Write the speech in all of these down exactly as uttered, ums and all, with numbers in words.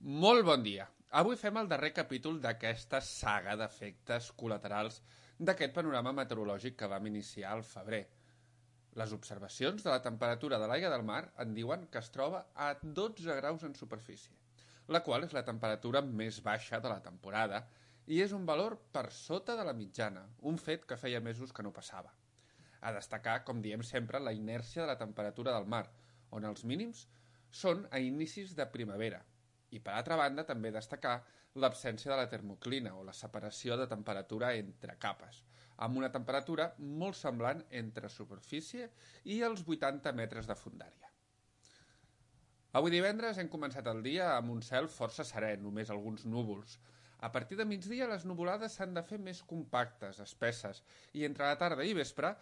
Molt bon dia. Avui fem el darrer capítol d'aquesta saga d'efectes col·laterals d'aquest panorama meteorològic que vam iniciar al febrer. Les observacions de la temperatura de l'aigua del mar en diuen que es troba a dotze graus en superfície, la qual és la temperatura més baixa de la temporada i és un valor per sota de la mitjana, un fet que feia mesos que no passava. A destacar, com diem sempre, la inèrcia de la temperatura del mar, on els mínims són a inicis de primavera. I, per altra banda, també destacar l'absència de la termoclina, o la separació de temperatura entre capes, amb una temperatura molt semblant entre superfície i els vuitanta metres de fondària. Avui divendres hem començat el dia amb un cel força serè, només alguns núvols. A partir de migdia les nuvolades s'han de fer més compactes, espesses, i entre la tarda i vespre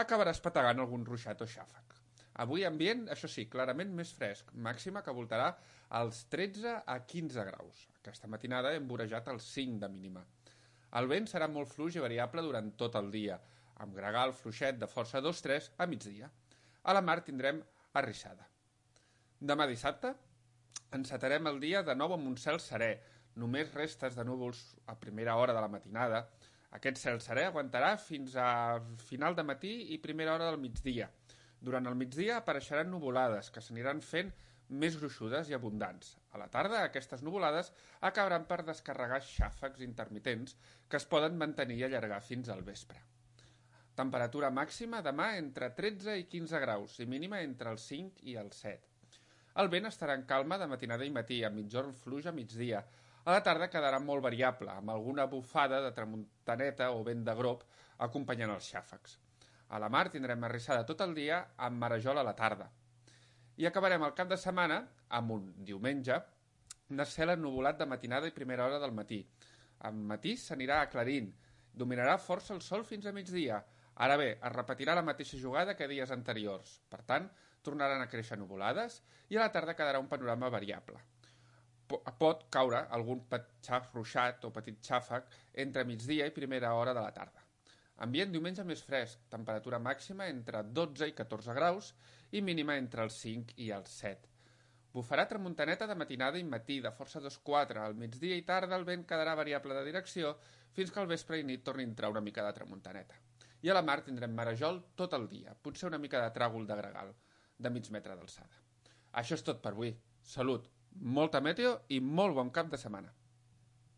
acabarà espetegant algun ruixat o xàfec. Avui ambient, això sí, clarament més fresc, màxima que voltarà als tretze a quinze graus. Aquesta matinada hem vorejat els cinc de mínima. El vent serà molt fluix i variable durant tot el dia, amb gregal fluixet de força dos tres a migdia. A la mar tindrem arrissada. Demà dissabte encetarem el dia de nou amb un cel serè, només restes de núvols a primera hora de la matinada. Aquest cel serè aguantarà fins a final de matí i primera hora del migdia. Durant el migdia apareixeran nuvolades, que s'aniran fent més gruixudes i abundants. A la tarda, aquestes nuvolades acabaran per descarregar xàfecs intermitents que es poden mantenir i allargar fins al vespre. Temperatura màxima demà entre tretze i quinze graus i mínima entre els cinc i els set. El vent estarà en calma de matinada i matí, amb migjorn fluix a migdia. A la tarda quedarà molt variable, amb alguna bufada de tramuntaneta o vent de grop acompanyant els xàfecs. A la mar tindrem arrissada tot el dia amb marejol a la tarda. I acabarem el cap de setmana amb un diumenge de cel ennuvolat de matinada i primera hora del matí. Al matí s'anirà aclarint, dominarà força el sol fins a migdia. Ara bé, es repetirà la mateixa jugada que dies anteriors. Per tant, tornaran a créixer nuvolades i a la tarda quedarà un panorama variable. Pot caure algun petxaf ruixat o petit xàfec entre migdia i primera hora de la tarda. Ambient diumenge més fresc, temperatura màxima entre dotze i catorze graus i mínima entre els cinc i els set. Bufarà tramuntaneta de matinada i matí, de força dos quatre. Al migdia i tarda el vent quedarà variable de direcció fins que al vespre i nit torni a entrar una mica de tramuntaneta. I a la mar tindrem marejol tot el dia, potser una mica de tràgol de gregal, de mig metre d'alçada. Això és tot per avui. Salut, molta meteo i molt bon cap de setmana.